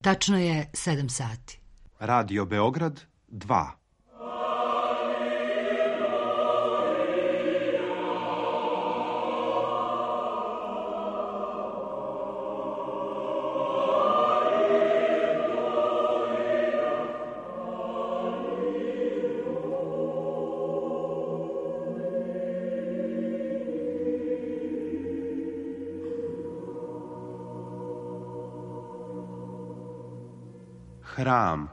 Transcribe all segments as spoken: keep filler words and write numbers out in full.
Tačno je sedam sati. Radio Beograd dva. Hram.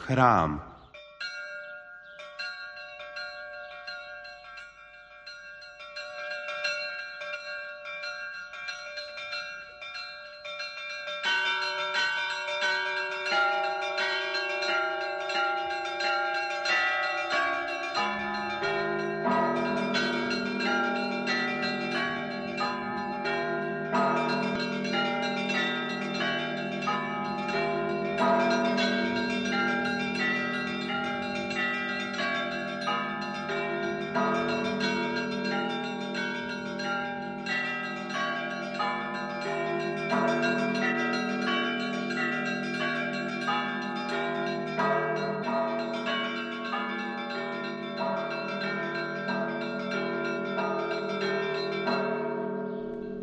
Hram.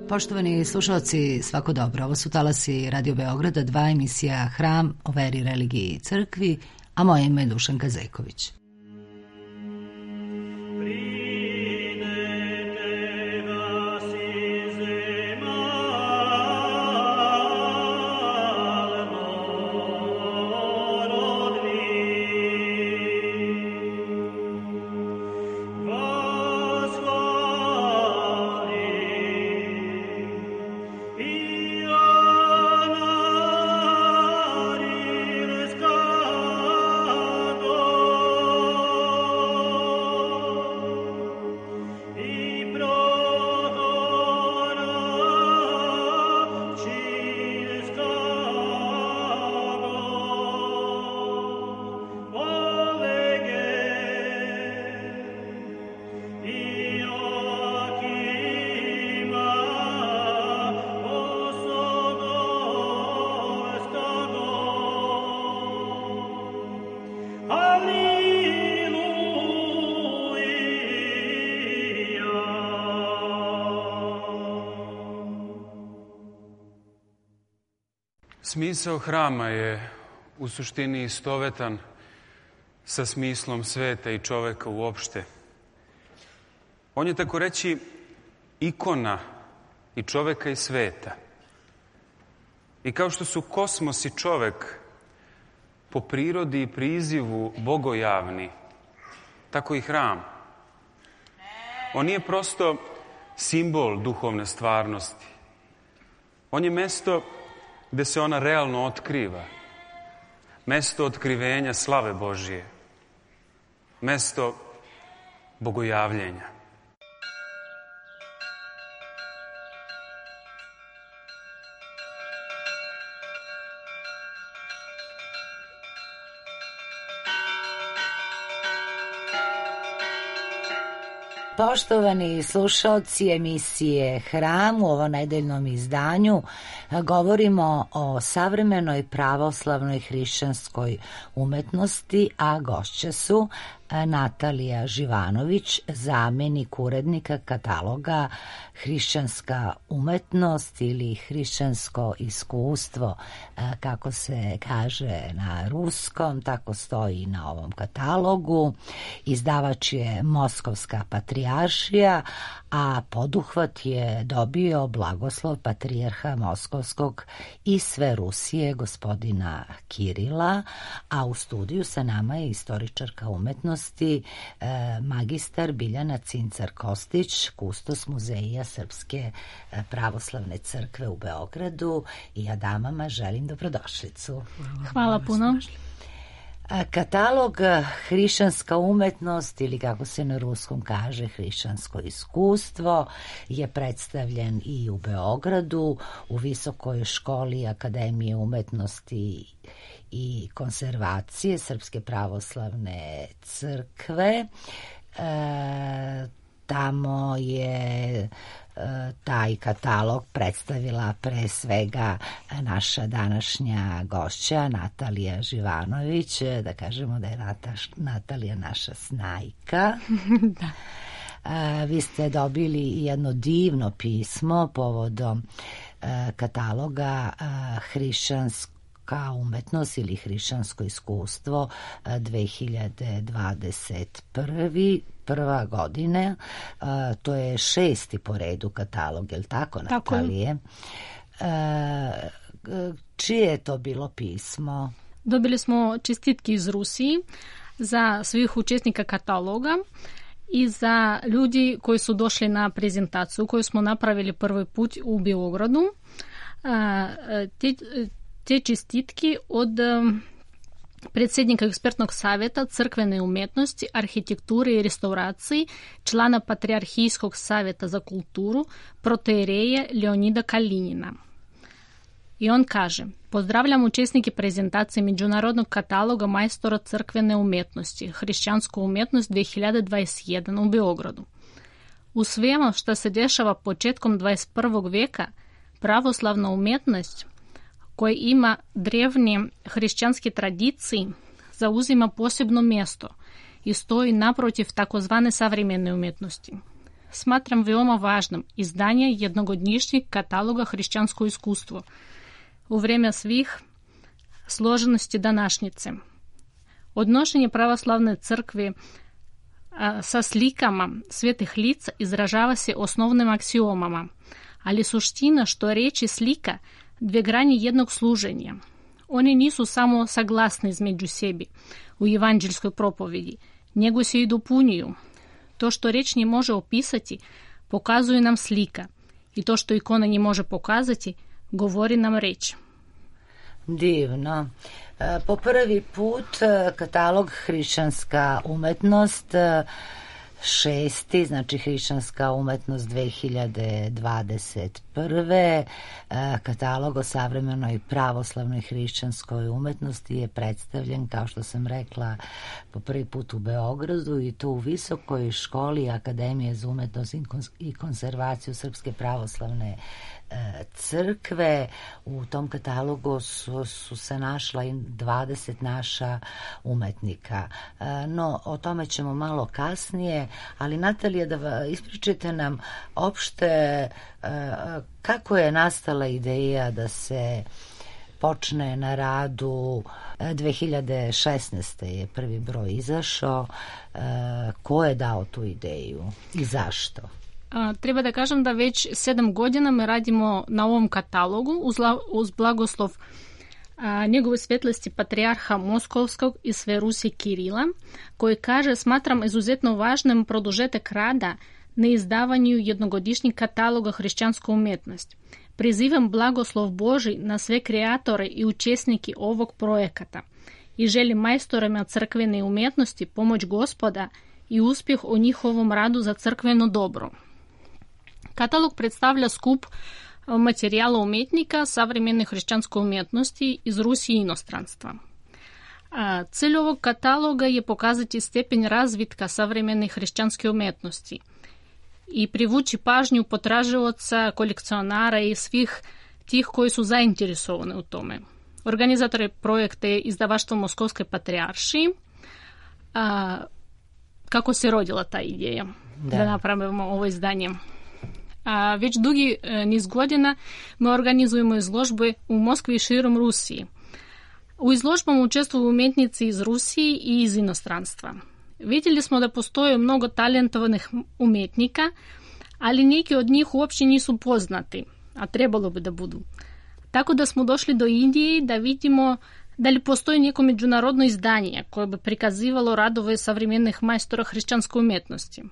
Poštovani slušalci, svako dobro. Ovo su talasi Radio Beograda, dva, emisija Hram o veri, religiji i crkvi, a moje ime je Dušanka Zeković. Smisao hrama je u suštini istovetan sa smislom sveta i čoveka uopšte. On je, tako reći, ikona i čoveka i sveta. I kao što su kosmos i čovek po prirodi i prizivu bogojavni, tako i hram. On nije prosto simbol duhovne stvarnosti. On je mesto gde se ona realno otkriva. Mesto otkrivenja slave Božije. Mesto bogojavljenja. Poštovani slušalci emisije Hram, u ovom nedeljnom izdanju govorimo o savremenoj pravoslavnoj hrišćanskoj umetnosti, a gošće su Natalija Živanović, zamenik urednika kataloga Hrišćanska umetnost ili hrišćansko iskustvo, kako se kaže na ruskom, tako stoji na ovom katalogu. Izdavač je Moskovska patrijaršija, a poduhvat je dobio blagoslov patrijarha Moskovskog i sve Rusije, gospodina Kirila, a u studiju sa nama je istoričarka umetnosti, magistar Biljana Cincar-Kostić, kustos Muzeja Srpske pravoslavne crkve u Beogradu, i ja damama želim dobrodošlicu. Hvala puno. Katalog hrišćanska umetnost ili kako se na ruskom kaže hrišćansko iskustvo je predstavljen i u Beogradu u Visokoj školi Akademije umetnosti i konzervacije Srpske pravoslavne crkve. E, tamo je taj katalog predstavila pre svega naša današnja gošća Natalija Živanović, da kažemo da je Nataš, Natalija naša snajka. Da. A, vi ste dobili jedno divno pismo povodom a, kataloga a, hrišćanska umetnost ili hrišćansko iskustvo dve hiljade dvadeset prve prva godine, uh, to je šesti po redu katalog, je li tako, tako Natalije? Uh, čije je to bilo pismo? Dobili smo čestitke iz Rusiji za svih učesnika kataloga i za ljudi koji su došli na prezentaciju koju smo napravili prvi put u Beogradu. Uh, te, te čestitke od predsjednika ekspertnog savjeta crkvene umjetnosti, arhitekture i restauraciji, člana Patriarhijskog savjeta za kulturu, protoijereja Leonida Kalinina. I on kaže: pozdravljam učesnike prezentacije Međunarodnog kataloga majstora crkvene umjetnosti, hrišćansku umjetnost dve hiljade dvadeset jedan u Beogradu. U svemu što se dešava početkom dvadeset prvog vijeka, pravoslavna umjetnost koja ima drevne hrišćanske tradicije zauzima posebno mjesto i stoji naprotiv takozvane savremene umjetnosti. Smatram veoma važnim izdanje jednogodišnjeg kataloga hrišćansko iskustvo u vrijeme svih složenosti današnjice. Odnošenje pravoslavne crkve a, sa slikama svetih lica izražava se osnovnim aksiomama, ali suština što reći slika dvije granje jednog služenja. Oni nisu samo saglasni između sebi u evanđelskoj propovedi, nego se i dopunjuju. To što reč ne može opisati, pokazuje nam slika, i to što ikona ne može pokazati, govori nam reč. Divno. Po prvi put katalog hrišćanska umetnost šesti, znači hrišćanska umetnost dve hiljade dvadeset prve. Katalog o savremenoj pravoslavnoj hrišćanskoj umetnosti je predstavljen, kao što sam rekla, po prvi put u Beogradu i to u Visokoj školi Akademije za umetnost i konzervaciju Srpske pravoslavne crkve. U tom katalogu su, su se našla i dvadeset naša umetnika. No, o tome ćemo malo kasnije, ali Natalija, da ispričite nam opšte kako je nastala ideja da se počne na radu. dve hiljade šesnaeste. je prvi broj izašao. Ko je dao tu ideju i zašto? Treba da kažem da već sedam godina mi radimo na ovom katalogu uz, uz blagoslov a, njegove svetlosti patrijarha Moskovskog i sve Rusije Kirila, koji kaže: smatram izuzetno važnim produžetak rada na izdavanju jednogodišnjeg kataloga hrišćanske umjetnosti. Prizivam blagoslov Božji na sve kreatore i učesnike ovog projekata i želim majstorima crkvene umjetnosti pomoć Gospoda i uspjeh u njihovom radu za crkveno dobro. Katalog predstavlja skup materijala umjetnika savremene hrišćanske umjetnosti iz Rusije i inostranstva. Cilj ovog kataloga je pokazati stepen razvitka savremene hrišćanske umjetnosti i privući pažnju potraživaca, kolekcionara i svih tih koji su zainteresovani u tome. Organizator projekta je izdavaštvo Moskovske patrijaršije. A, kako se rodila ta ideja da, da napravimo ovo izdanje? A, već dugi e, niz godina mi organizujemo izložbe u Moskvi i širom Rusiji. U izložbama učestvuju umjetnici iz Rusije i iz inostranstva. Vidjeli smo da postoje mnogo talentovanih umjetnika, ali neki od njih uopće nisu poznati, a trebalo bi da budu. Tako da smo došli do Indije da vidimo da li postoji neko međunarodno izdanje koje bi prikazivalo radove savremenih majstora hrišćanske umjetnosti.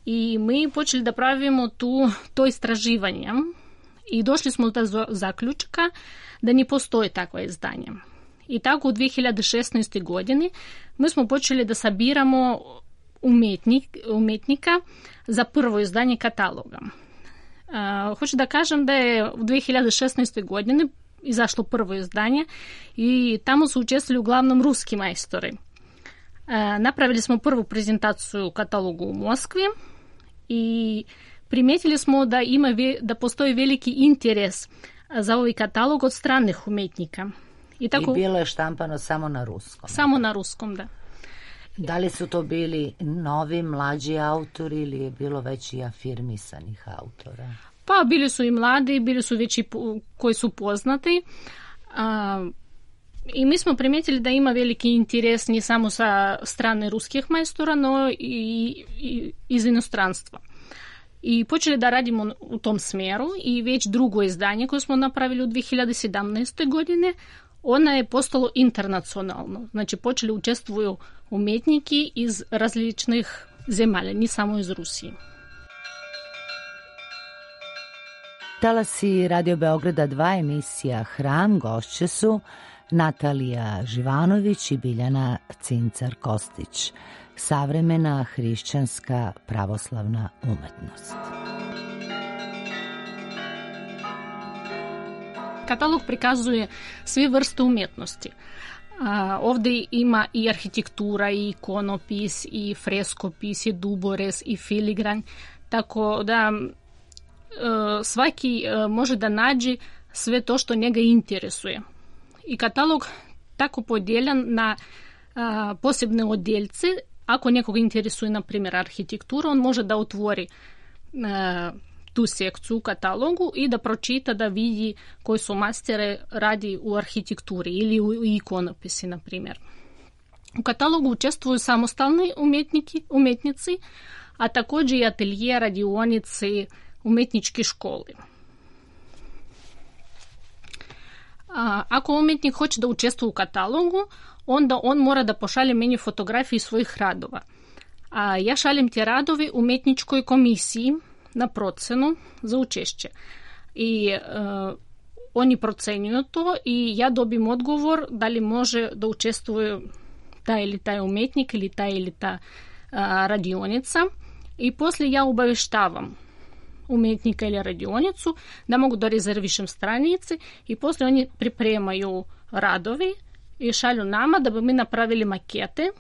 I mi počeli da pravimo tu, to istraživanje i došli smo do zaključka da ne postoji takvo izdanje. I tako u dvije hiljade šesnaestoj godini mi smo počeli da sabiramo umetnik, umetnika za prvo izdanje kataloga. Uh, hoću da kažem da je u dvije hiljade šesnaestoj godini izašlo prvo izdanje i tamo su učestvovali uglavnom ruski majstori. Uh, napravili smo prvu prezentaciju katalogu u Moskvi i primijetili smo da, ima ve, da postoji veliki interes za ovaj katalog od stranih umetnika. I, tako, I bilo je štampano samo na ruskom. Samo na ruskom, da. Da li su to bili novi, mlađi autori ili je bilo već i afirmisanih autora? Pa bili su i mladi, bili su već i koji su poznati. A, I mi smo primijetili da ima veliki interes ne samo sa strane ruskih majstora, no i, i iz inostranstva. I počeli da radimo u tom smjeru i već drugo izdanje koje smo napravili u dvije hiljade sedamnaestoj godine, ona je postalo internacionalno. Znači počeli učestvuju umetniki iz različnih zemalja, ne samo iz Rusije. Talasi Radio Beograda dva emisija Hram, gošće su Natalija Živanović i Biljana Cincar-Kostić. Savremena hrišćanska pravoslavna umetnost. Katalog prikazuje sve vrste umjetnosti. A, ovdje ima i arhitektura, i ikonopis, i freskopis, i duborez, i filigran, tako da e, svaki e, može da nađe sve to što njega interesuje. I katalog tako podijeljen na a, posebne odjeljce. Ako nekoga interesuje, na primjer, arhitektura, on može da otvori a, tu sekciju u katalogu i da pročita, da vidi koji su mastere radi u arhitekturi ili u ikonopisi, na primjer. U katalogu učestvuju samostalni umjetniki, umjetnici, a također i atelje, radionice, umjetničke škole. A, ako umjetnik hoće da učestvuje u katalogu, onda on mora da pošalje meni fotografije svojih radova. A ja šaljem te radovi umjetničkoj komisiji na procenu za učešće. I e, oni procenjuju to i ja dobim odgovor da li može da učestvuje taj ili taj umjetnik ili ta ili ta a, radionica. I poslije ja obavještavam umjetnika ili radionicu da mogu da rezervišem stranice i poslije oni pripremaju radovi i šalju nama da bi mi napravili makete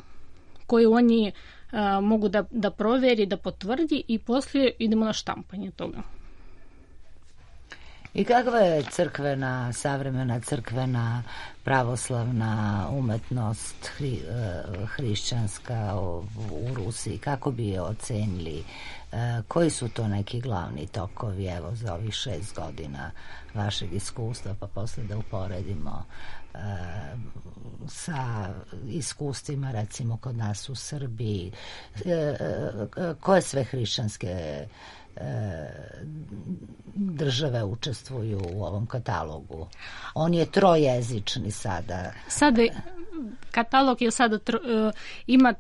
koje oni a, mogu da, da provjeri, da potvrdi i poslije idemo na štampanje toga. I kakva je crkvena, savremena crkvena pravoslavna umetnost hri, hrišćanska u Rusiji? Kako bi je ocenili? Koji su to neki glavni tokovi, evo, za ovih šest godina vašeg iskustva, pa poslije da uporedimo e, sa iskustvima, recimo, kod nas u Srbiji, e, e, koje sve hrišćanske e, države učestvuju u ovom katalogu? On je trojezični sada. Sada, katalog je sada tro, e, ima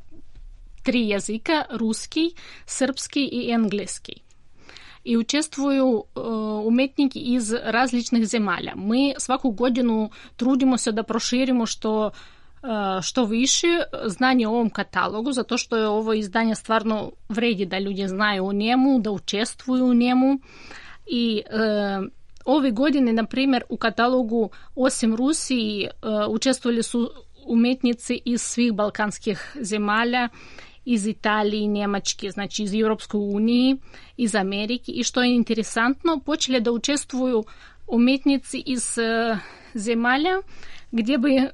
tri jezika, ruski, srpski i engleski. I učestvuju uh, umetniki iz različnih zemalja. Mi svaku godinu trudimo se da proširimo što, uh, što više znanje o ovom katalogu, zato što je ovo izdanje stvarno vredi da ljudi znaju o njemu, da učestvuju u njemu. I uh, ove godine, na primjer, u katalogu osim Rusiji uh, učestvovali su umetnici iz svih balkanskih zemalja, iz Italije, Njemačke, znači iz Europske unije, iz Amerike. I što je interesantno, počeli da učestvuju umetnici iz uh, zemalja gdje bi,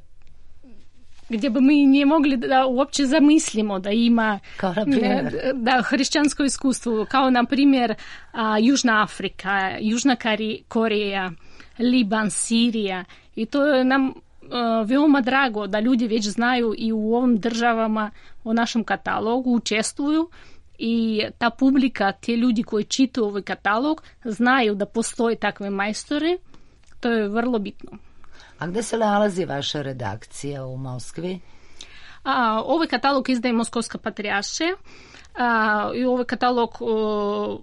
gdje bi mi nije mogli da uopće zamislimo da ima da, hrišćansko iskustvo, kao na primjer uh, Južna Afrika, Južna Koreja, Liban, Sirija. I to je nam Uh, veoma drago da ljudi već znaju i u ovim državama o našem katalogu, učestvuju i ta publika, te ljudi koji čitaju ovaj katalog, znaju da postoje takve majstore. To je vrlo bitno. A gde se nalazi vaša redakcija u Moskvi? A, ovaj katalog izdaje Moskovska patrijaršija i ovaj katalog uh,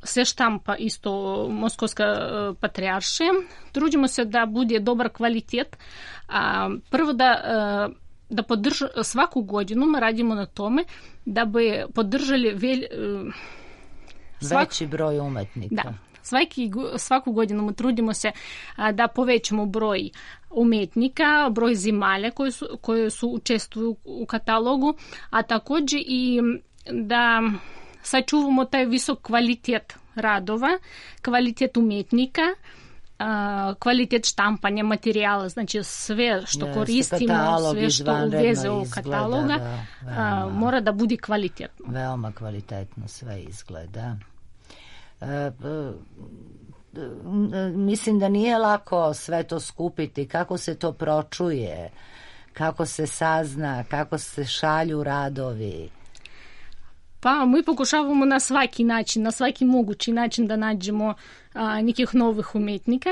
se štampa isto Moskovska patrijaršija. Trudimo se da bude dobar kvalitet. A, prvo da, da podrž, svaku godinu radimo na tome da bi podržali velj, svak, veći broj umetnika. Da. Svaki, svaku godinu trudimo se a, da povećamo broj umetnika, broj zemalja koje su, koje su učestvuju u katalogu, a također i da sačuvamo taj visok kvalitet radova, kvalitet umetnika, a, kvalitet štampanja materijala, znači sve što yes, koristimo, sve što uveze u kataloga, da, a, mora da bude kvalitetno. Veoma kvalitetno sve izgleda. E, mislim da nije lako sve to skupiti, kako se to pročuje, kako se sazna, kako se šalju radovi. Pa mi pokušavamo na svaki način, na svaki mogući način da nađemo a, nekih novih umetnika.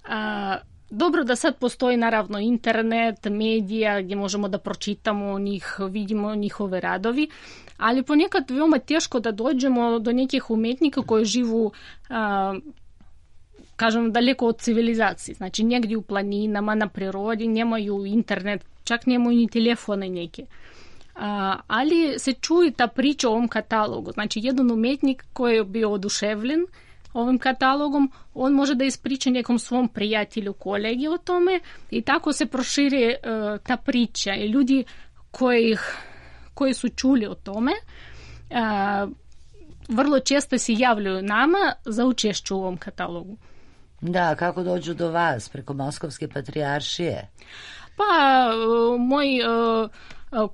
A, dobro da sad postoji naravno internet, medija gdje možemo da pročitamo njih, vidimo njihove radovi, ali ponekad veoma teško da dođemo do nekih umetnika koji živu a, kažem daleko od civilizacije, znači negdje u planinama, na prirodi, nemaju internet, čak nemaju ni telefone neke. A, ali se čuje ta priča o ovom katalogu. Znači, jedan umetnik koji je bio oduševljen ovim katalogom, on može da ispriča nekom svom prijatelju, kolegi o tome i tako se proširi uh, ta priča i ljudi koji, koji su čuli o tome uh, vrlo često se javljaju nama za učešću u ovom katalogu. Da, kako dođu do vas? Preko Moskovske patrijaršije? Pa, uh, moj... Uh,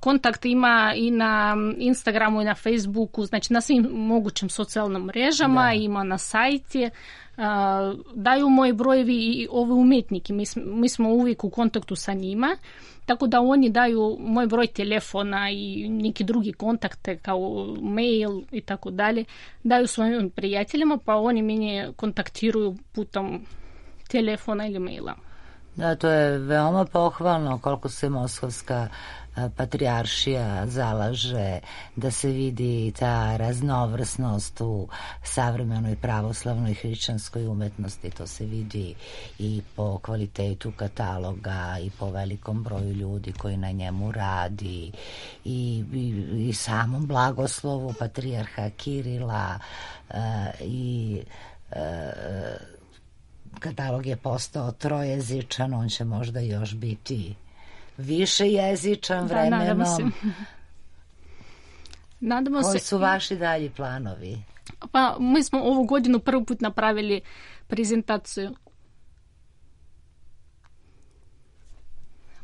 kontakt ima i na Instagramu i na Facebooku, znači na svim mogućim socijalnim mrežama, da. Ima na sajti. Daju moji brojevi i ove umetnike. Mi, mi smo uvijek u kontaktu sa njima, tako da oni daju moj broj telefona i neki drugi kontakte kao mail i tako dalje. Daju svojim prijateljima, pa oni mene kontaktiruju putem telefona ili maila. Da, to je veoma pohvalno koliko se Moskovska patrijaršija zalaže da se vidi ta raznovrsnost u savremenoj pravoslavnoj hrišćanskoj umetnosti. To se vidi i po kvalitetu kataloga i po velikom broju ljudi koji na njemu radi i, i, i samom blagoslovu patrijarha Kirila uh, i uh, katalog je postao trojezičan, on će možda još biti više jezičan vremenom. Da, nadamo se. Nadamo Koji se. su vaši dalji planovi? Pa mi smo ovu godinu prvi put napravili prezentaciju.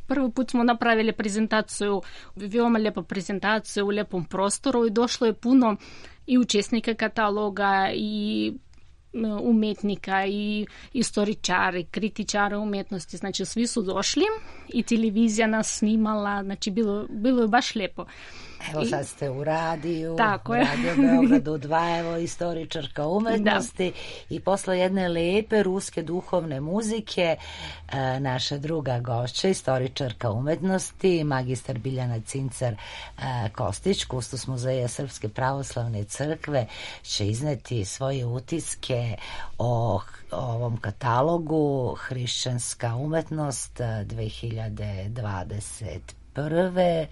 Prvi put smo napravili prezentaciju, veoma lijepa prezentacija u lijepom prostoru i došlo je puno i učesnika kataloga i umetnika i istoričari, kritičari umjetnosti, znači svi su došli i televizija nas snimala, znači bilo, bilo je baš lijepo. Evo I, sad ste u radiju, tako u Radio Beogradu dva, evo istoričarka umetnosti da. I posle jedne lepe ruske duhovne muzike e, naša druga gošća, istoričarka umetnosti, magistar Biljana Cincar e, Kostić, kustos Muzeja Srpske pravoslavne crkve, će izneti svoje utiske o, o ovom katalogu Hrišćanska umetnost dve hiljade dvadeset prve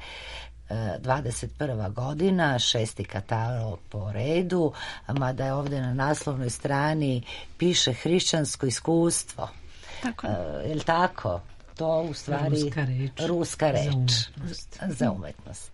dvadeset prva godina, šesti katalog po redu, mada je ovdje na naslovnoj strani piše hrišćansko iskustvo. Tako. Je li tako? To u stvari ruska reč, ruska reč za umetnost. Za umetnost.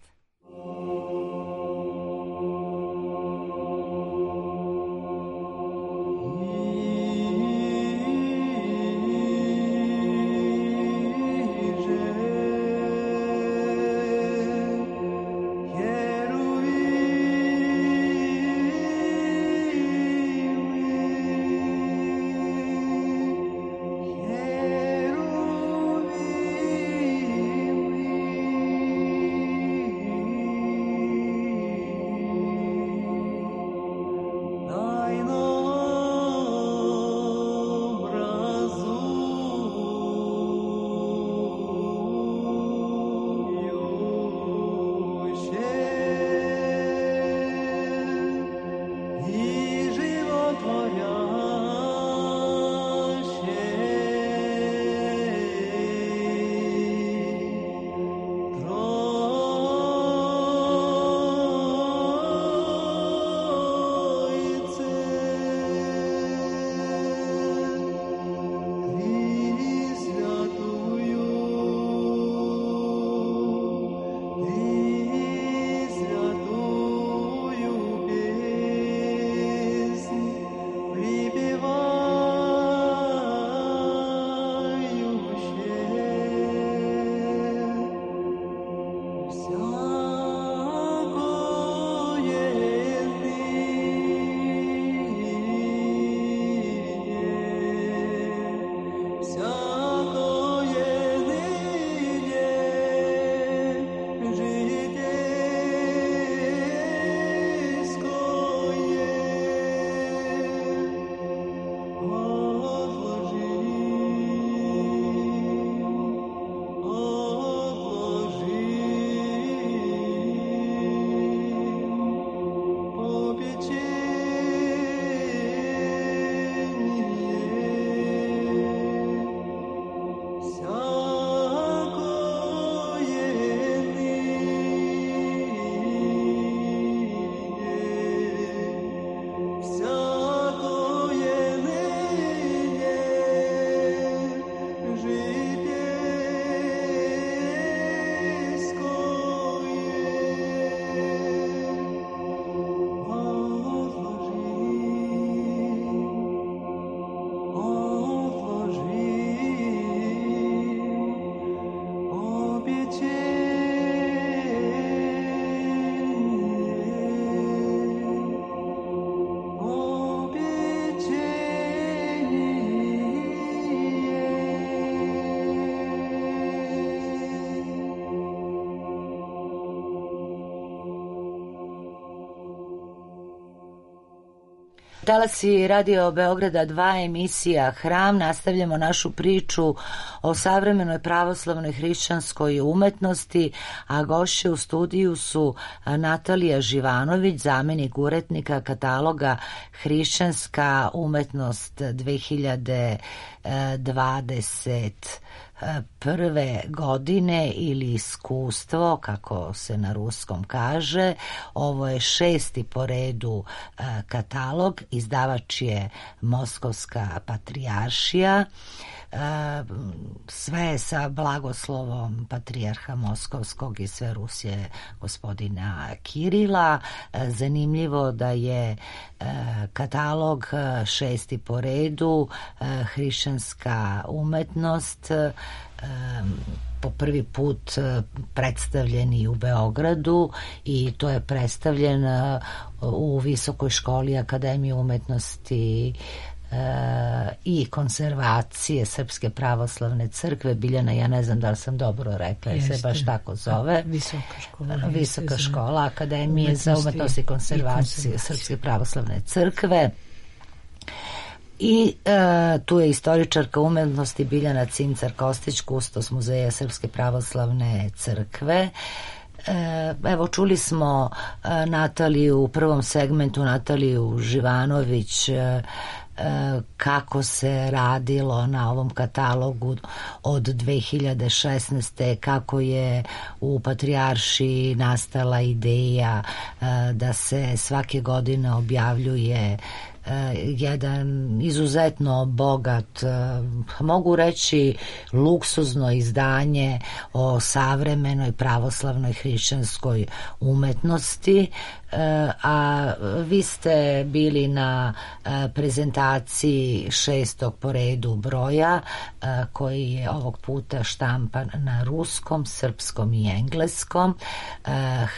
talasi Radio Beograda dva, emisija Hram. Nastavljamo našu priču o savremenoj pravoslavnoj hrišćanskoj umetnosti, a gošće u studiju su Natalija Živanović, zamenik urednika kataloga Hrišćanska umetnost dve hiljade dvadeset prve godine ili iskustvo, kako se na ruskom kaže. Ovo je šesti po redu katalog, izdavač je Moskovska patrijaršija. Sve je sa blagoslovom patrijarha Moskovskog i sve Rusije gospodina Kirila. Zanimljivo da je katalog šesti po redu, hrišćanska umetnost, po prvi put predstavljen i u Beogradu, i to je predstavljen u Visokoj školi Akademije umetnosti i konzervacije Srpske pravoslavne crkve. Biljana, ja ne znam da li sam dobro rekla, jer se baš tako zove. Visoka škola. Visoka škola Akademije za umetnost i konzervacije Srpske pravoslavne crkve. I e, tu je istoričarka umetnosti Biljana Cincar-Kostić, kustos Muzeja Srpske pravoslavne crkve. E, evo, čuli smo e, Nataliju u prvom segmentu, Nataliju Živanović, e, kako se radilo na ovom katalogu od dve hiljade šesnaeste. kako je u Patrijaršiji nastala ideja da se svake godine objavljuje jedan izuzetno bogat, mogu reći luksuzno izdanje o savremenoj pravoslavnoj hrišćanskoj umetnosti, a vi ste bili na prezentaciji šestog po redu broja, koji je ovog puta štampan na ruskom, srpskom i engleskom.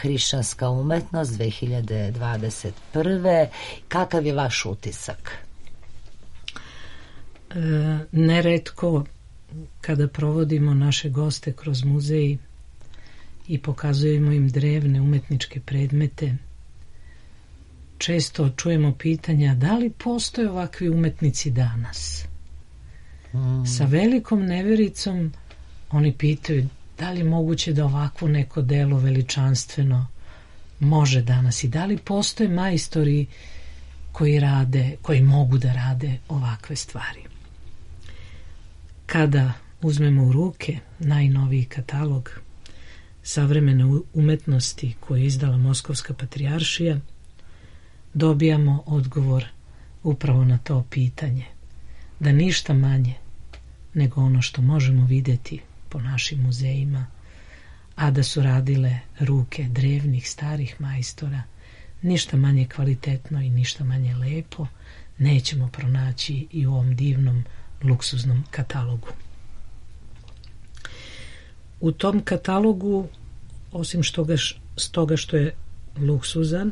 Hrišćanska umetnost dve hiljade dvadeset prve. Kakav je vaš utisak? E, neretko kada provodimo naše goste kroz muzej i pokazujemo im drevne umetničke predmete, često čujemo pitanja da li postoje ovakvi umetnici danas. Mm. Sa velikom nevericom oni pitaju da li je moguće da ovakvo neko delo veličanstveno može danas i da li postoje majstori koji rade, koji mogu da rade ovakve stvari. Kada uzmemo u ruke najnoviji katalog savremene umetnosti koji je izdala Moskovska patrijaršija, dobijamo odgovor upravo na to pitanje, da ništa manje nego ono što možemo vidjeti po našim muzejima, a da su radile ruke drevnih starih majstora, ništa manje kvalitetno i ništa manje lepo nećemo pronaći i u ovom divnom luksuznom katalogu. U tom katalogu, osim što ga, stoga što je luksuzan,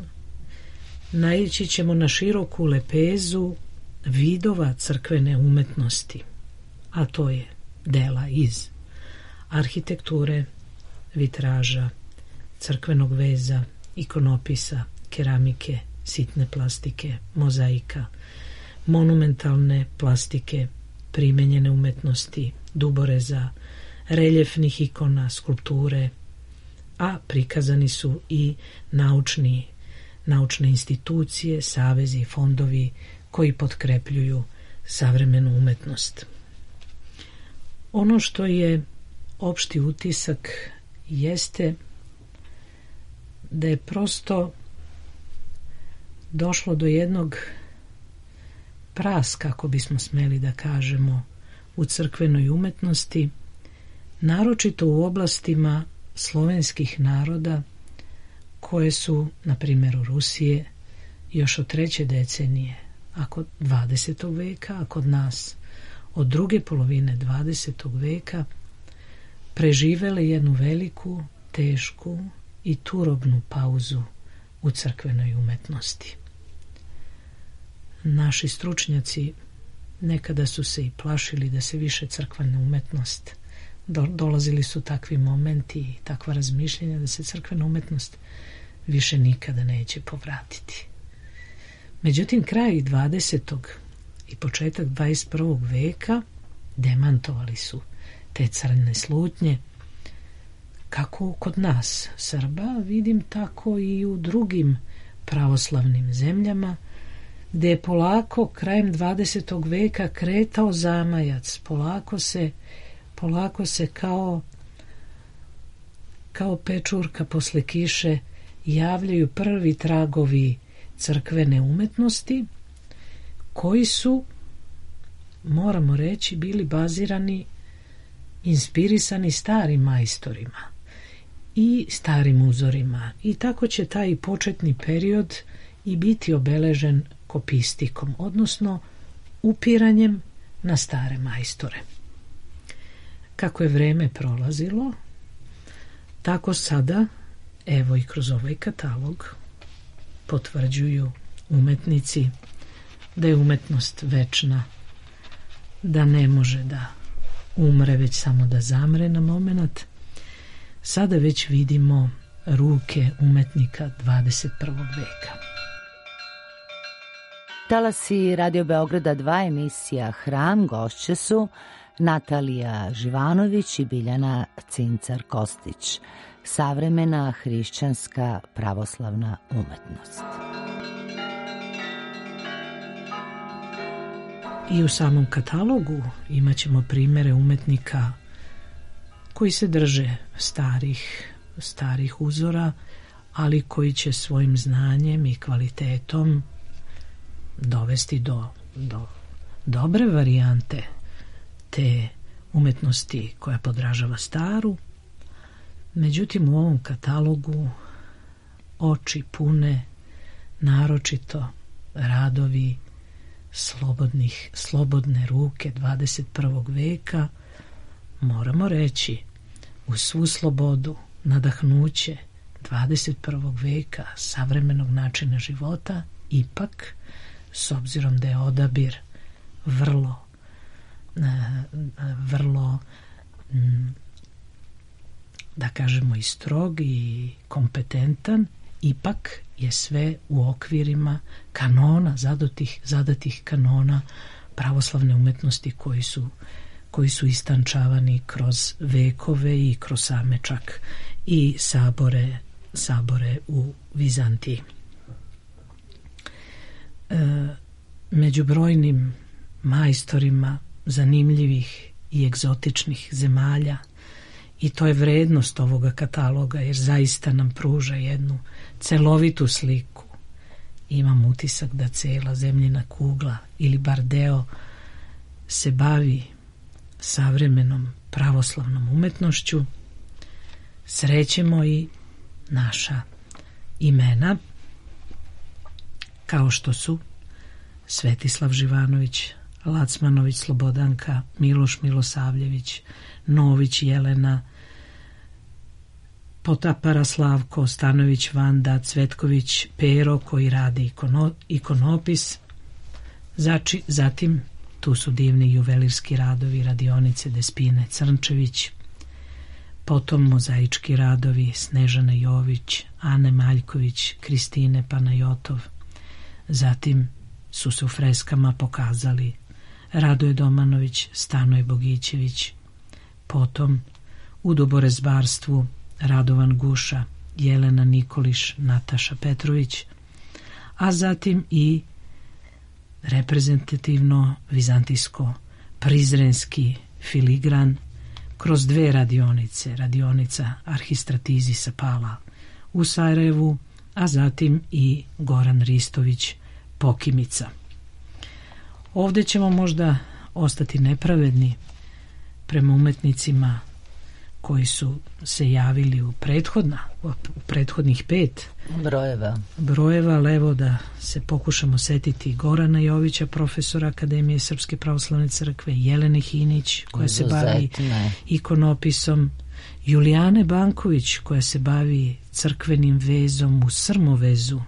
naići ćemo na široku lepezu vidova crkvene umetnosti, a to je dela iz arhitekture, vitraža, crkvenog veza, ikonopisa, keramike, sitne plastike, mozaika, monumentalne plastike, primenjene umetnosti, duboreza, reljefnih ikona, skulpture, a prikazani su i naučni, naučne institucije, savezi i fondovi koji potkrepljuju savremenu umetnost. Ono što je opšti utisak jeste da je prosto došlo do jednog praska, kako bismo smeli da kažemo, u crkvenoj umetnosti, naročito u oblastima slovenskih naroda koje su, na primjeru Rusije, još od treće decenije, a kod dvadesetog veka, a kod nas od druge polovine dvadesetog veka, preživele jednu veliku, tešku i turobnu pauzu u crkvenoj umetnosti. Naši stručnjaci nekada su se i plašili da se više crkvena umetnost, do, dolazili su takvi momenti i takva razmišljenja da se crkvena umetnost više nikada neće povratiti. Međutim, kraj dvadesetog i početak dvadeset prvog veka demantovali su te crne slutnje, kako kod nas Srba, vidim tako i u drugim pravoslavnim zemljama, gdje je polako krajem dvadesetog veka kretao zamajac, polako se, polako se kao, kao pečurka posle kiše javljaju prvi tragovi crkvene umetnosti, koji su, moramo reći, bili bazirani, inspirisani starim majstorima i starim uzorima. I tako će taj početni period i biti obeležen kopistikom, odnosno upiranjem na stare majstore. Kako je vreme prolazilo, tako sada, evo i kroz ovaj katalog, potvrđuju umetnici da je umetnost večna, da ne može da umre, već samo da zamre na moment. Sada već vidimo ruke umetnika dvadeset prvog veka. Talasi Radio Beograda dva, emisija Hram, gošće su Natalija Živanović i Biljana Cincar-Kostić. Savremena hrišćanska pravoslavna umetnost. I u samom katalogu imat ćemo primere umetnika koji se drže starih, starih uzora, ali koji će svojim znanjem i kvalitetom dovesti do, do dobre varijante te umetnosti koja podražava staru. Međutim, u ovom katalogu oči pune naročito radovi slobodnih, slobodne ruke dvadeset prvog veka, moramo reći, u svu slobodu, nadahnuće dvadeset prvog veka savremenog načina života, ipak, s obzirom da je odabir vrlo vrlo da kažemo i strog i kompetentan, ipak je sve u okvirima kanona, zadatih, zadatih kanona pravoslavne umetnosti koji su, koji su istančavani kroz vekove i kroz same čak i sabore, sabore u Vizantiji. E, među brojnim majstorima zanimljivih i egzotičnih zemalja, i to je vrednost ovoga kataloga, jer zaista nam pruža jednu celovitu sliku. Imam utisak da cela zemljina kugla ili bar deo se bavi savremenom pravoslavnom umetnošću. Srećemo i naša imena, kao što su Svetislav Živanović, Lacmanović Slobodanka, Miloš Milosavljević, Nović Jelena, Potapara Slavko, Stanović Vanda, Cvetković Pero koji radi ikono, ikonopis. Zači, zatim tu su divni juvelirski radovi radionice Despine Crnčević, potom mozaički radovi Snežane Jović, Ane Maljković, Kristine Panajotov. Zatim su se u freskama pokazali Radoje Domanović, Stanoje Bogićević, potom u duborezbarstvu Radovan Guša, Jelena Nikoliš, Nataša Petrović, a zatim i reprezentativno vizantijsko prizrenski filigran kroz dve radionice, radionica Arhistratizi Sapala u Sarajevu, a zatim i Goran Ristović Pokimica. Ovdje ćemo možda ostati nepravedni prema umetnicima koji su se javili u prethodna, u prethodnih pet brojeva. Brojeva, ali evo da se pokušamo setiti Gorana Jovića, profesora Akademije Srpske pravoslavne crkve, Jelene Hinić, koja se bavi ikonopisom, Julijane Banković, koja se bavi crkvenim vezom u Srmovezu,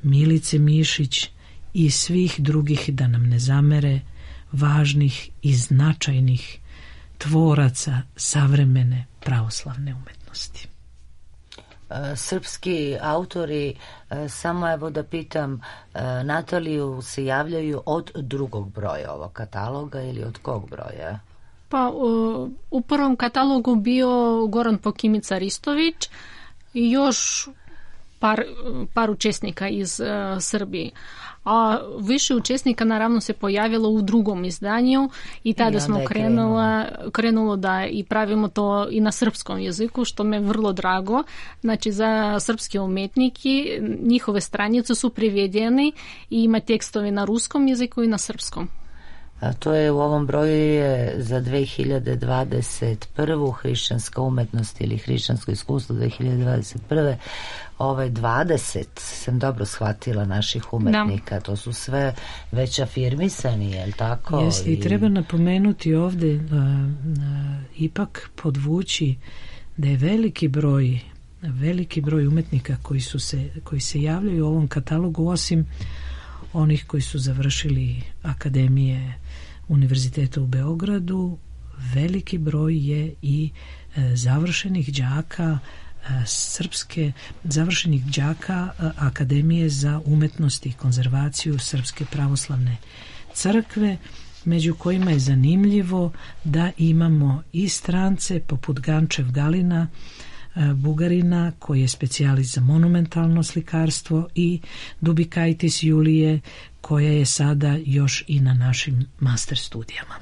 Milice Mišić i svih drugih, da nam ne zamere, važnih i značajnih tvoraca savremene pravoslavne umetnosti. srpski autori, samo evo da pitam, Nataliju, se javljaju od drugog broja ovog kataloga ili od kog broja? Pa u prvom katalogu bio Goran Pokimica Ristović i još par, par učesnika iz uh, Srbije. A više učesnika naravno se pojavilo u drugom izdanju i tada I smo krenula, krenulo da i pravimo to i na srpskom jeziku, što me vrlo drago. Znači za srpske umetniki njihove stranice su prevedeni i ima tekstovi na ruskom jeziku i na srpskom. A to je u ovom broju je za dve hiljade dvadeset prvu hrišćanska umetnost ili hrišćansko iskustvo dve hiljade dvadeset prve ove dvadeset sam dobro shvatila naših umetnika, da. To su sve već afirmisani, je li tako? Jeste, i, i treba napomenuti ovde uh, uh, ipak podvući da je veliki broj veliki broj umetnika koji su se koji se javljaju u ovom katalogu, osim onih koji su završili akademije Univerziteta u Beogradu, veliki broj je i e, završenih đaka e, srpske, završenih đaka e, Akademije za umetnost i konzervaciju Srpske pravoslavne crkve, među kojima je zanimljivo da imamo i strance poput Gančev Galina, Bugarina, koji je specijalist za monumentalno slikarstvo, i Dubikaitis Julije, koja je sada još i na našim master studijama.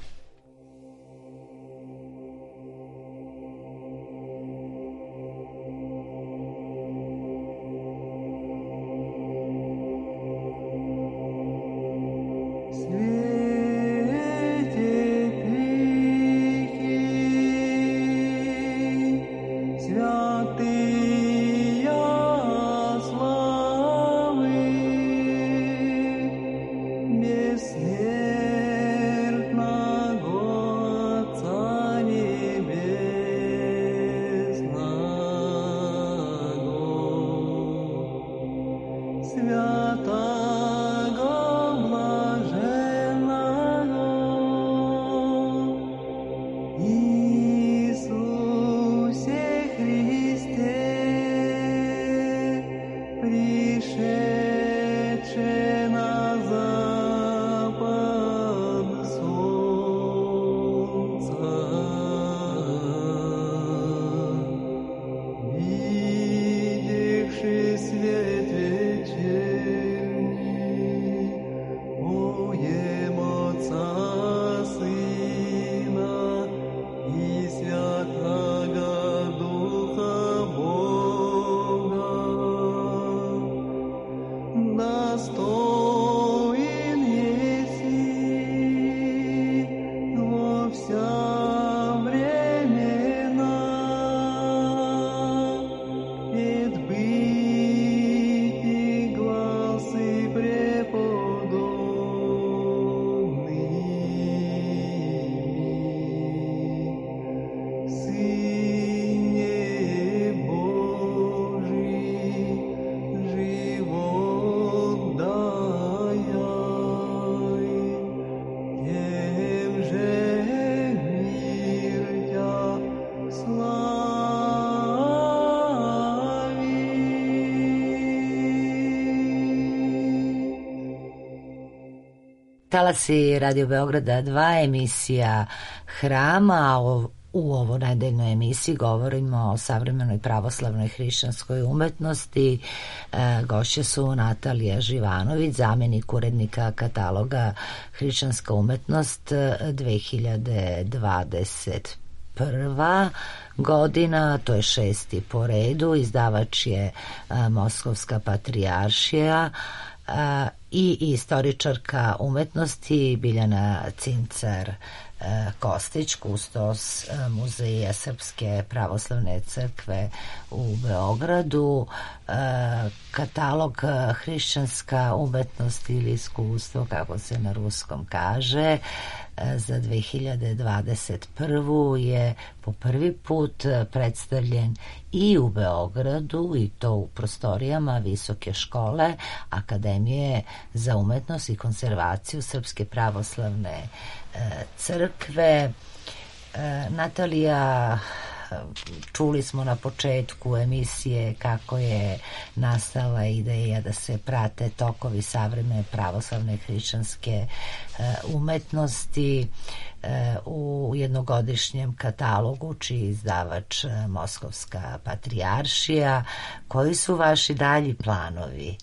Talasi Radio Beograda dva, emisija Hrama. U ovo nedeljnoj emisiji govorimo o savremenoj pravoslavnoj hrišćanskoj umetnosti. E, gošće su Natalija Živanović, zamjenik urednika kataloga Hrišćanska umetnost dve hiljade dvadeset prva godina, to je šesti po redu, izdavač je a, Moskovska patrijaršija, a, i istoričarka umetnosti Biljana Cincar Kostić, kustos Muzeja Srpske pravoslavne crkve u Beogradu. Katalog hrišćanska umetnost ili iskustvo, kako se na ruskom kaže, za dve hiljade dvadeset prvu je po prvi put predstavljen i u Beogradu, i to u prostorijama Visoke škole Akademije za umetnost i konzervaciju Srpske pravoslavne crkve. Natalija, čuli smo na početku emisije kako je nastala ideja da se prate tokovi savremene pravoslavne hrišćanske umetnosti u jednogodišnjem katalogu čiji izdavač Moskovska patrijaršija. Koji su vaši dalji planovi?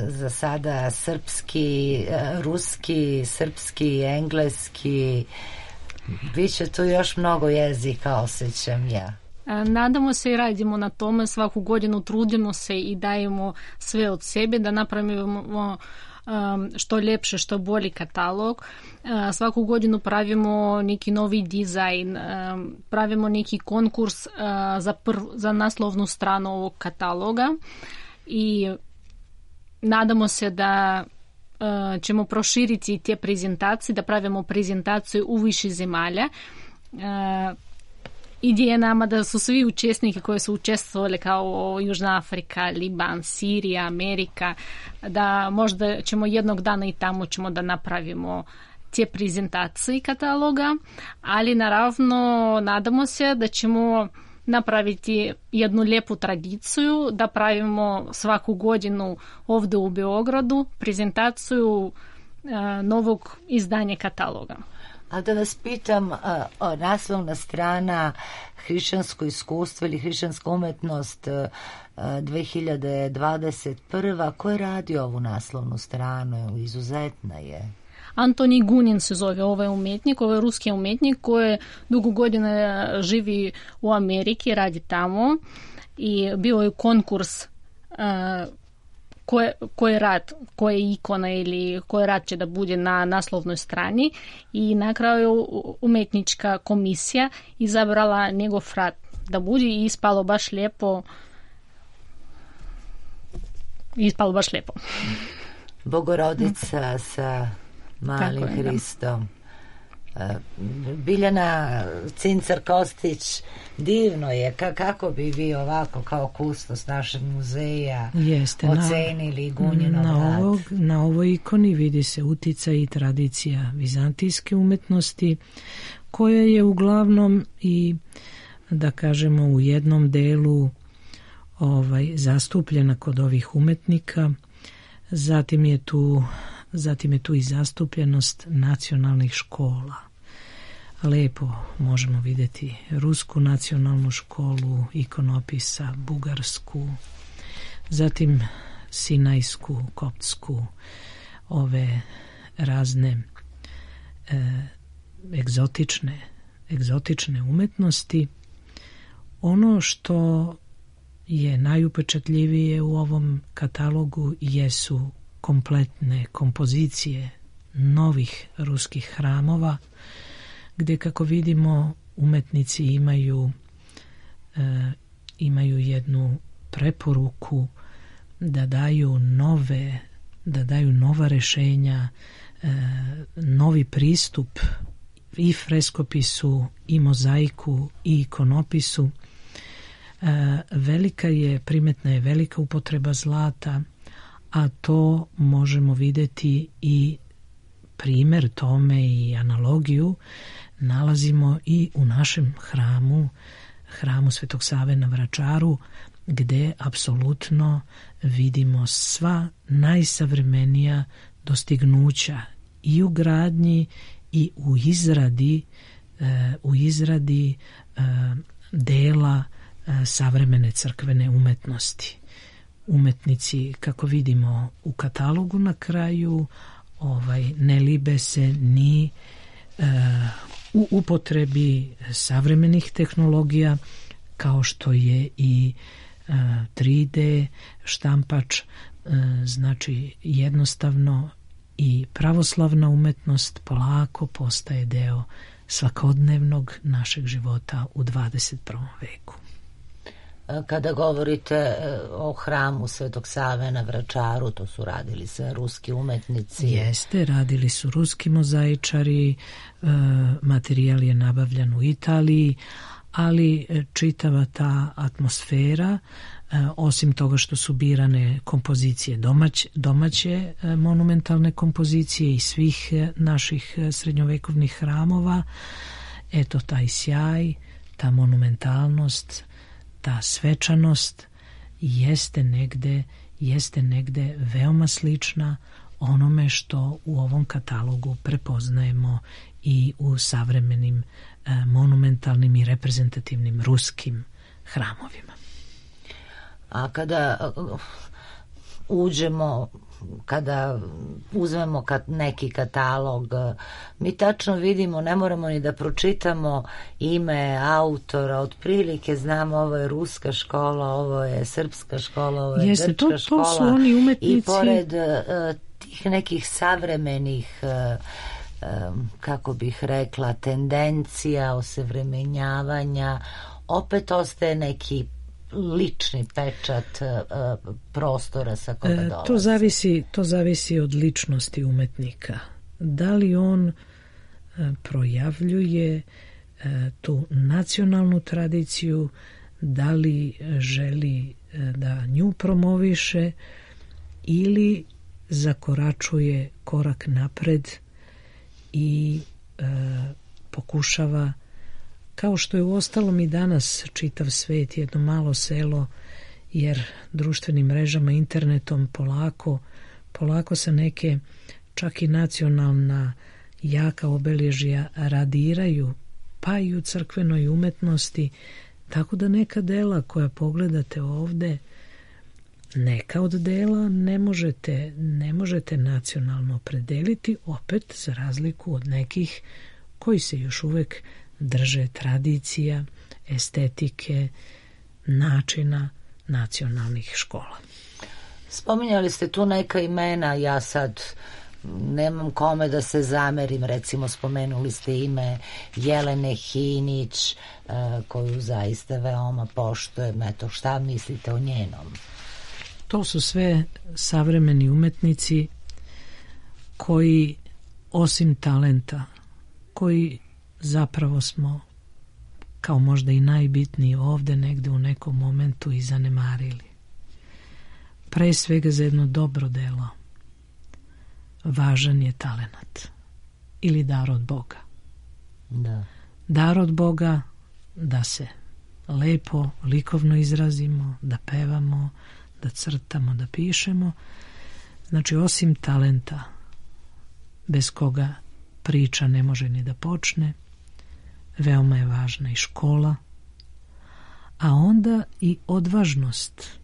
Za sada srpski, ruski, srpski, engleski, biće tu još mnogo jezika, osjećam ja. Nadamo se i radimo na tome, svaku godinu trudimo se i dajemo sve od sebe da napravimo što ljepše, što bolji katalog. Svaku godinu pravimo neki novi dizajn, pravimo neki konkurs za, prv, za naslovnu stranu ovog kataloga i nadamo se da uh, ćemo proširiti te prezentacije, da pravimo prezentaciju u više zemalja. Uh, ideja nama da su svi učesniki koji su učestvovali kao Južna Afrika, Liban, Sirija, Amerika, da možda ćemo jednog dana i tamo ćemo da napravimo te prezentacije kataloga, ali naravno nadamo se da ćemo napraviti jednu lijepu tradiciju, da pravimo svaku godinu ovdje u Beogradu prezentaciju a, novog izdanja kataloga. A da vas pitam, a, a, naslovna strana hrišćansko iskustvo ili hrišćanska umetnost a, dve hiljade dvadeset prva. Ko je radio ovu naslovnu stranu? Izuzetna je. Antoni Gunin se zove ovaj umetnik, ovaj ruski umetnik koji dugo godina živi u Ameriki, radi tamo i bio je konkurs uh, koje, koje rad, koje ikona ili koje rad će da bude na naslovnoj strani i na kraju umetnička komisija izabrala njegov rad da bude i ispalo baš lijepo. Ispalo baš lijepo. Bogorodica sa malim je, Hristom. Da. Biljana Cincar-Kostić, divno je. Ka, kako bi vi ovako kao kustos našeg muzeja Jeste, ocenili Gunjinov na, ovog, na ovoj ikoni vidi se uticaj i tradicija vizantijske umetnosti koja je uglavnom i da kažemo u jednom delu ovaj, zastupljena kod ovih umetnika. Zatim je tu Zatim je tu i zastupljenost nacionalnih škola. Lepo možemo vidjeti rusku nacionalnu školu ikonopisa, bugarsku, zatim sinajsku, koptsku, ove razne e, egzotične, egzotične umetnosti. Ono što je najupečatljivije u ovom katalogu jesu kompletne kompozicije novih ruskih hramova, gdje kako vidimo umetnici imaju e, imaju jednu preporuku da daju nove da daju nova rješenja, e, novi pristup i freskopisu i mozaiku i ikonopisu. E, velika je, primetna je velika upotreba zlata, a to možemo vidjeti i primjer tome i analogiju nalazimo i u našem hramu, hramu Svetog Save na Vračaru, gdje apsolutno vidimo sva najsavremenija dostignuća i u gradnji i u izradi, u izradi dela savremene crkvene umetnosti. Umetnici, kako vidimo u katalogu na kraju, ovaj, ne libe se ni e, u upotrebi savremenih tehnologija kao što je i e, tri D štampač, e, znači jednostavno i pravoslavna umetnost polako postaje deo svakodnevnog našeg života u dvadeset prvom veku. Kada govorite o hramu Svetog Save na Vračaru, to su radili se ruski umetnici. Jeste, radili su ruski mozaičari, materijal je nabavljan u Italiji, ali čitava ta atmosfera, osim toga što su birane kompozicije domać, domaće monumentalne kompozicije i svih naših srednjovekovnih hramova, eto taj sjaj, ta monumentalnost, ta svečanost jeste negde, jeste negde veoma slična onome što u ovom katalogu prepoznajemo i u savremenim e, monumentalnim i reprezentativnim ruskim hramovima. A kada uđemo, kada uzmemo neki katalog, mi tačno vidimo, ne moramo ni da pročitamo ime autora, otprilike znamo ovo je ruska škola, ovo je srpska škola, ovo je Jeste, grčka to, to škola. Su oni umetnici. I pored uh, tih nekih savremenih uh, um, kako bih rekla, tendencija osavremenjavanja, opet ostaje neki lični pečat uh, prostora sa koga dolazi. To zavisi, to zavisi od ličnosti umetnika. Da li on uh, projavljuje uh, tu nacionalnu tradiciju, da li želi uh, da nju promoviše ili zakoračuje korak napred i uh, pokušava, kao što je uostalom i danas čitav svet, jedno malo selo, jer društvenim mrežama, internetom polako, polako se neke čak i nacionalna jaka obeležja radiraju, pa i u crkvenoj umetnosti, tako da neka dela koja pogledate ovde, neka od dela ne možete, ne možete nacionalno opredeliti, opet za razliku od nekih koji se još uvek drže tradicija, estetike, načina nacionalnih škola. Spominjali ste tu neka imena, ja sad nemam kome da se zamerim, recimo spomenuli ste ime Jelene Hinić, koju zaista veoma poštujem, eto šta mislite o njenom? To su sve savremeni umetnici koji osim talenta, koji zapravo smo kao možda i najbitniji ovde negde u nekom momentu i zanemarili. Pre svega za jedno dobro delo važan je talenat ili dar od Boga. Da. Dar od Boga da se lepo, likovno izrazimo, da pevamo, da crtamo, da pišemo. Znači, osim talenta, bez koga priča ne može ni da počne, veoma je važna i škola, a onda i odvažnost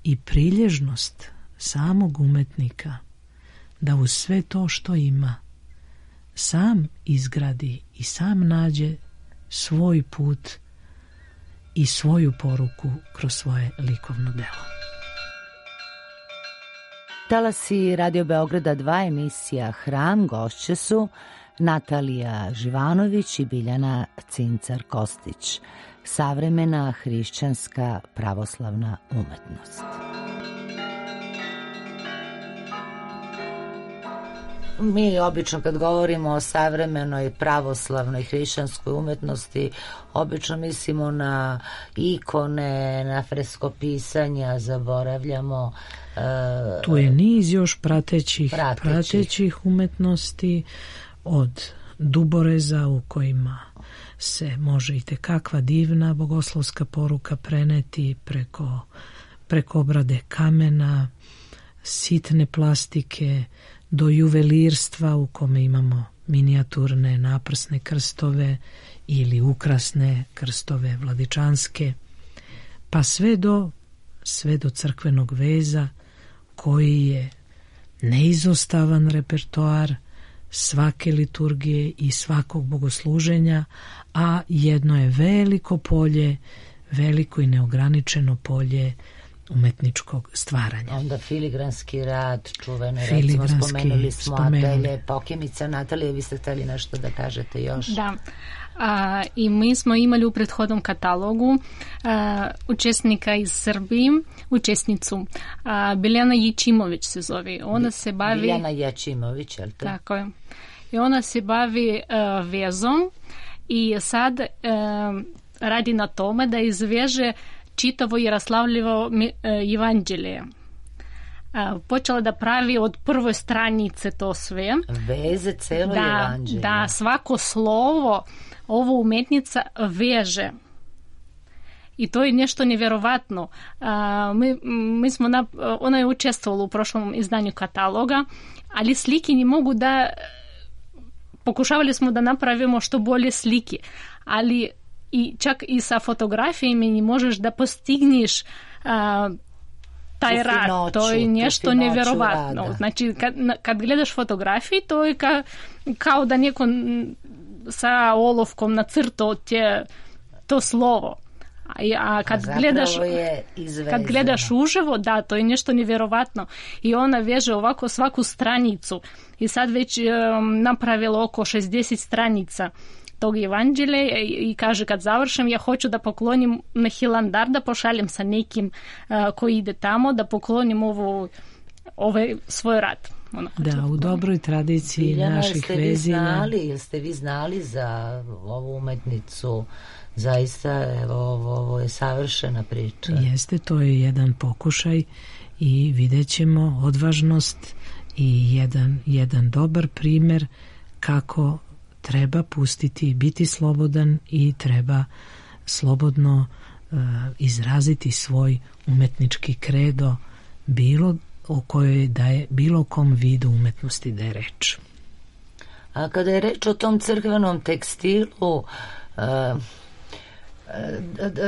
i prilježnost samog umetnika da uz sve to što ima sam izgradi i sam nađe svoj put i svoju poruku kroz svoje likovno delo. Talasi Radio Beograda dva, emisija Hram, gošće su Natalija Živanović i Biljana Cincar-Kostić. Savremena hrišćanska pravoslavna umetnost. Mi obično kad govorimo o savremenoj pravoslavnoj hrišćanskoj umetnosti, obično mislimo na ikone, na freskopisanja, zaboravljamo uh, tu je niz još pratećih, pratećih. pratećih umetnosti, od duboreza u kojima se može i tekakva divna bogoslovska poruka preneti preko, preko obrade kamena, sitne plastike, do juvelirstva u kome imamo minijaturne naprsne krstove ili ukrasne krstove vladičanske, pa sve do, sve do crkvenog veza koji je neizostavan repertoar svake liturgije i svakog bogosluženja, a jedno je veliko polje, veliko i neograničeno polje umetničkog stvaranja. Onda filigranski rad, čuveno, recimo spomenuli smo Atelje Pokimica. Natalija, vi ste hteli nešto da kažete još? Da. A, i mi smo imali u prethodnom katalogu a, učesnika iz Srbije, učesnicu a, Biljana Ječimović se zove. Ona se bavi... Biljana Ječimović, je li to? Tako je. I ona se bavi a, vezom i sad a, radi na tome da izveže čitavo Jaroslavljevo evanđelje. počela da pravi od prve stranice to sve. Veze celo da, evanđelje. Da, svako slovo ovo umetnica veže. I to je nešto nevjerovatno. Mi, mi smo na, ona je učestvovala u prošlom izdanju kataloga, ali slike ne mogu da... Pokušavali smo da napravimo što bolje slike, ali i čak i sa fotografijama ne možeš da postigneš a, taj rad. To je nešto nevjerovatno. Rada. Znači, kad, kad gledaš fotografije, to je ka, kao da neko sa olovkom nacrtao tje to slovo. A, a kad a gledaš kad gledaš uživo, da, to je nešto nevjerovatno. I ona veže ovako svaku stranicu. I sad već um, napravila oko šezdeset stranica tog evanđelja i, i kaže kad završim ja hoću da poklonim na Hilandar, da pošaljem sa nekim uh, koji ide tamo, da poklonim ovo, ovaj svoj rad. Ona da, u dobroj tradiciji Biljana, naših vezina. Znali, ili ste vi znali za ovu umetnicu? Zaista, evo, ovo, ovo je savršena priča. Jeste, to je jedan pokušaj i vidjet ćemo odvažnost i jedan, jedan dobar primjer kako treba pustiti, biti slobodan i treba slobodno uh, izraziti svoj umetnički kredo bilo o kojoj da je bilo kom vidu umetnosti da je reč. A kada je reč o tom crkvenom tekstilu, uh,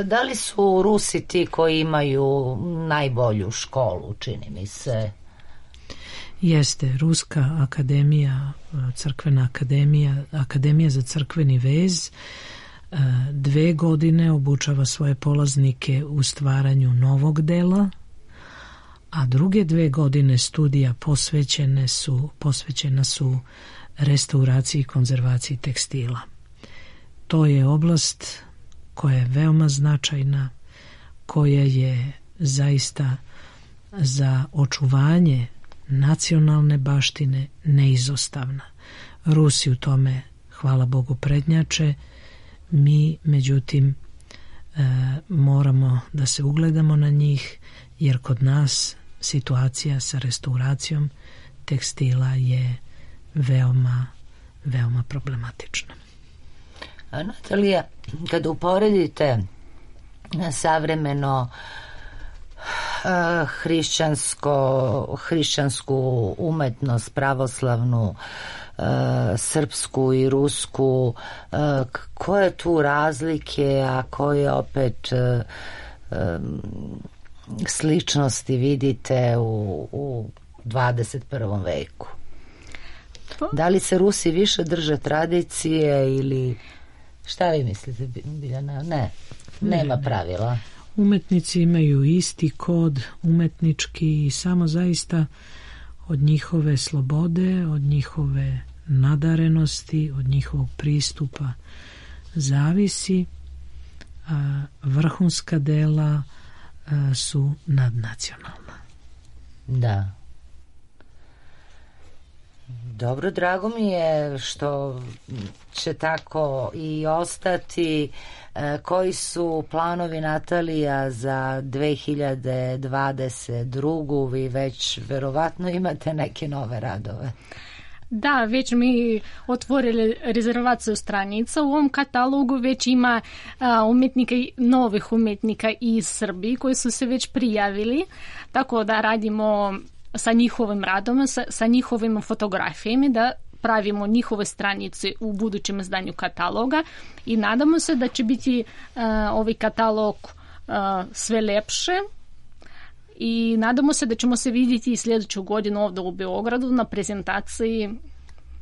da li su Rusi ti koji imaju najbolju školu, čini mi se? Jeste, Ruska akademija, crkvena akademija, akademija za crkveni vez, dve godine obučava svoje polaznike u stvaranju novog dela, a druge dve godine studija posvećene su, posvećena su restauraciji i konzervaciji tekstila. To je oblast koja je veoma značajna, koja je zaista za očuvanje nacionalne baštine neizostavna. Rusi u tome, hvala Bogu, prednjače. Mi, međutim, e, moramo da se ugledamo na njih, jer kod nas situacija sa restauracijom tekstila je veoma, veoma problematična. A Natalija, kada uporedite savremeno uh, hrišćansko, hrišćansku umetnost, pravoslavnu, uh, srpsku i rusku, uh, koje tu razlike, a koje opet uh, um, sličnosti vidite u, u dvadeset prvom veku? Da li se Rusi više drže tradicije ili... Šta vi mislite, Biljana? Ne, nema ne, pravila. Umetnici imaju isti kod umetnički i samo zaista od njihove slobode, od njihove nadarenosti, od njihovog pristupa zavisi. A vrhunska dela a, su nadnacionalna. Da. Dobro, drago mi je što će tako i ostati. E, koji su planovi, Natalija, za dve hiljade dvadeset drugu? Vi već verovatno imate neke nove radove. Da, već mi otvorili rezervaciju stranica. U ovom katalogu već ima a, umetnika, novih umetnika iz Srbije koji su se već prijavili, tako da radimo sa njihovim radom, sa, sa njihovim fotografijama, da pravimo njihove stranice u budućem izdanju kataloga i nadamo se da će biti uh, ovaj katalog uh, sve lepše i nadamo se da ćemo se vidjeti i sljedeću godinu ovdje u Beogradu na prezentaciji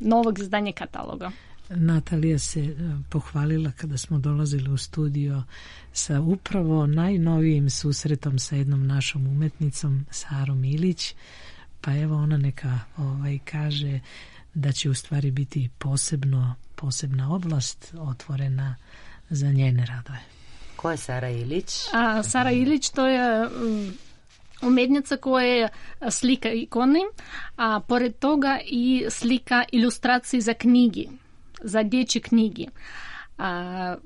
novog izdanja kataloga. Natalija se pohvalila kada smo dolazili u studio sa upravo najnovijim susretom sa jednom našom umetnicom, Sarom Ilić, pa evo ona neka ovaj, kaže da će u stvari biti posebno, posebna oblast otvorena za njene radove. Ko je Sara Ilić? A, Sara Ilić to je um, umetnica koja slika ikone, a pored toga i slika ilustracije za knjigi, za dječje knjige. A,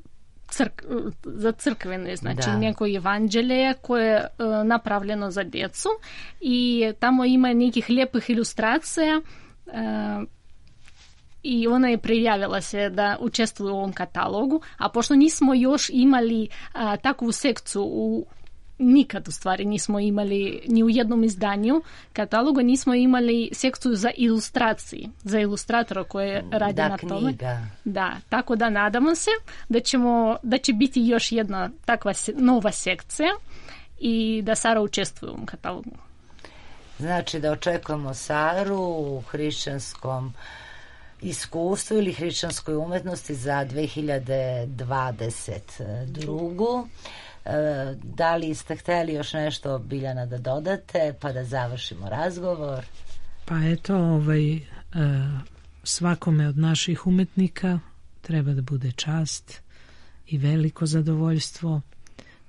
crk, za crkvene, znači da. neko evanđelje koje je napravljeno za djecu i tamo ima nekih lijepih ilustracija i ona je prijavila se da učestvuje u ovom katalogu, a pošto nismo još imali a, takvu sekciju u nikad u stvari nismo imali ni u jednom izdanju kataloga, nismo imali sekciju za ilustracije, za ilustratora koje radi da, na knjiga. tome. Da, tako da nadamo se da ćemo, da će biti još jedna takva nova sekcija i da Sara učestvuje u ovom katalogu. Znači da očekujemo Saru u hrišćanskom iskustvu ili hrišćanskoj umetnosti za dve hiljade dvadeset drugu. Da li ste hteli još nešto, Biljana, da dodate pa da završimo razgovor? Pa eto, ovaj, svakome od naših umetnika treba da bude čast i veliko zadovoljstvo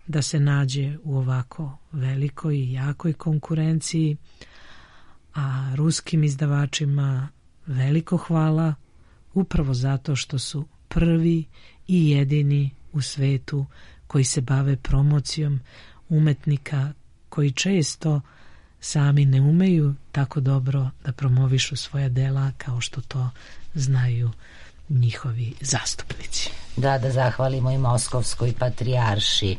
da se nađe u ovako velikoj i jakoj konkurenciji, a ruskim izdavačima veliko hvala upravo zato što su prvi i jedini u svetu koji se bave promocijom umetnika koji često sami ne umeju tako dobro da promovišu svoja dela kao što to znaju njihovi zastupnici. Da, da zahvalimo i Moskovskoj patrijarši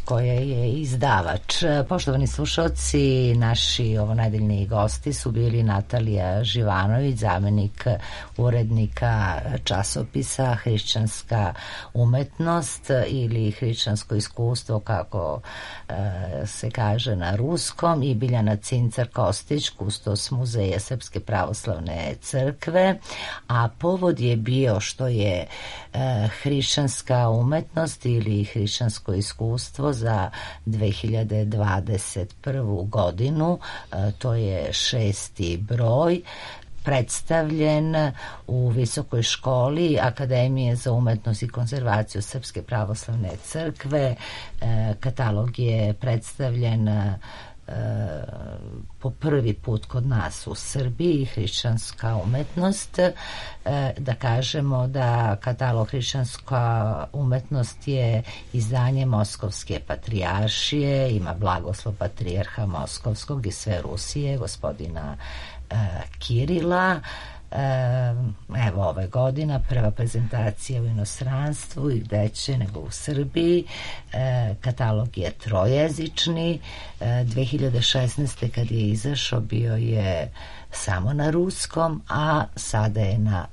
koja je izdavač. Poštovani slušalci, naši ovonedeljni gosti su bili Natalija Živanović, zamenik urednika časopisa Hrišćanska umetnost ili Hrišćansko iskustvo, kako se kaže na ruskom, i Biljana Cincar-Kostić, kustos Muzeja Srpske pravoslavne crkve, a povod je bio što je hrišćanska umetnost ili hrišćansko iskustvo za dve hiljade dvadeset prvu godinu, to je šesti broj, predstavljen u Visokoj školi Akademije za umetnost i konzervaciju Srpske pravoslavne crkve. Katalog je predstavljen po prvi put kod nas u Srbiji, hrišćanska umetnost. Da kažemo da katalog hrišćanska umetnost je izdanje Moskovske patrijaršije, ima blagoslov patrijarha Moskovskog i sve Rusije, gospodina Kirila. Evo, ove godina prva prezentacija u inostranstvu i gdeće nego u Srbiji. Katalog je trojezični. dve hiljade šesnaeste kad je izašao bio je samo na ruskom, a sada je na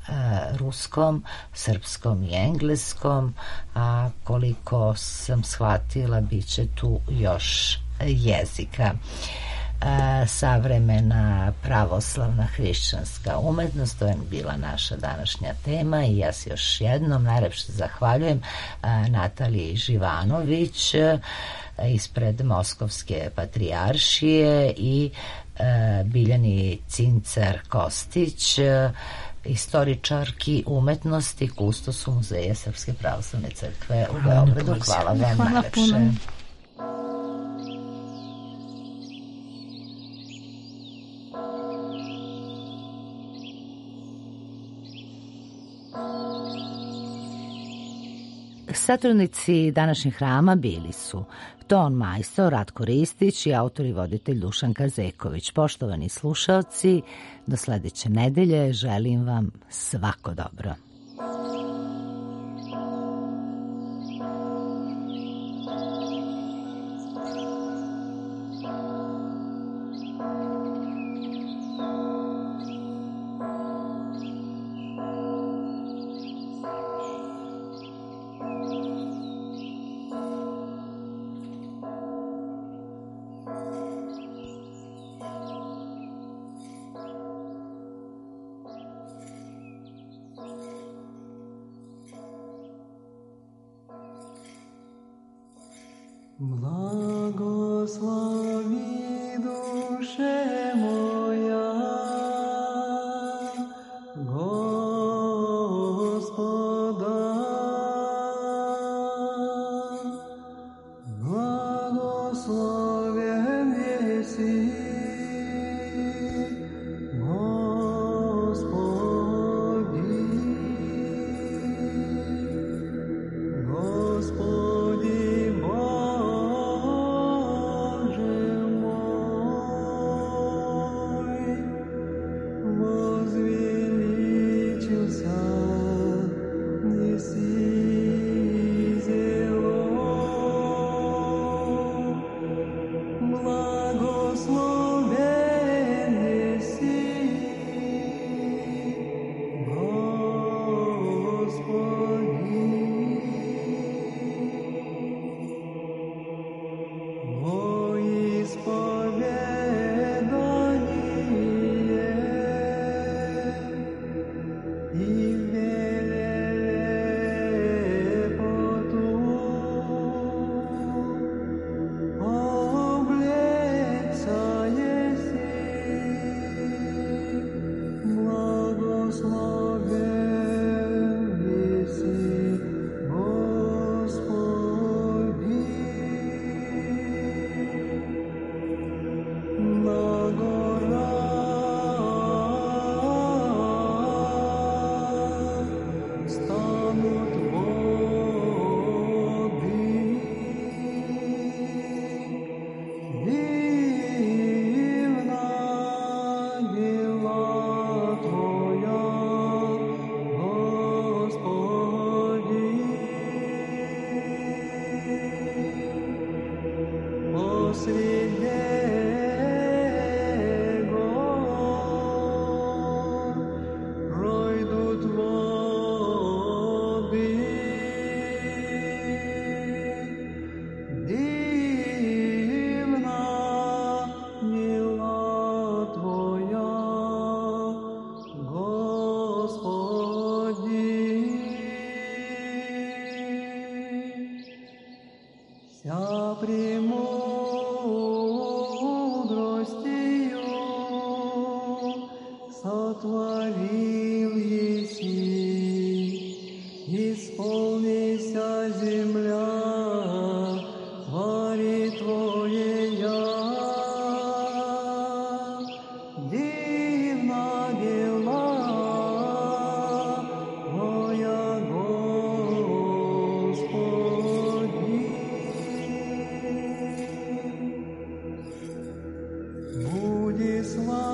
ruskom, srpskom i engleskom, a koliko sam shvatila bit će tu još jezika. Savremena pravoslavna hrišćanska umetnost, to je bila naša današnja tema i ja se još jednom najlepše zahvaljujem Nataliji Živanović ispred Moskovske patrijaršije i Biljani Cincar-Kostić, istoričarki umetnosti, kustosu Muzeja Srpske pravoslavne crkve u Beogradu. Hvala vam najlepše. Satrudnici današnjeg hrama bili su ton majstor Ratko Ristić i autor i voditelj Dušan Kazeković. Poštovani slušalci, do sledeće nedelje želim vam svako dobro. Благослови душе моя Господа, благословен еси Господи, Budi sva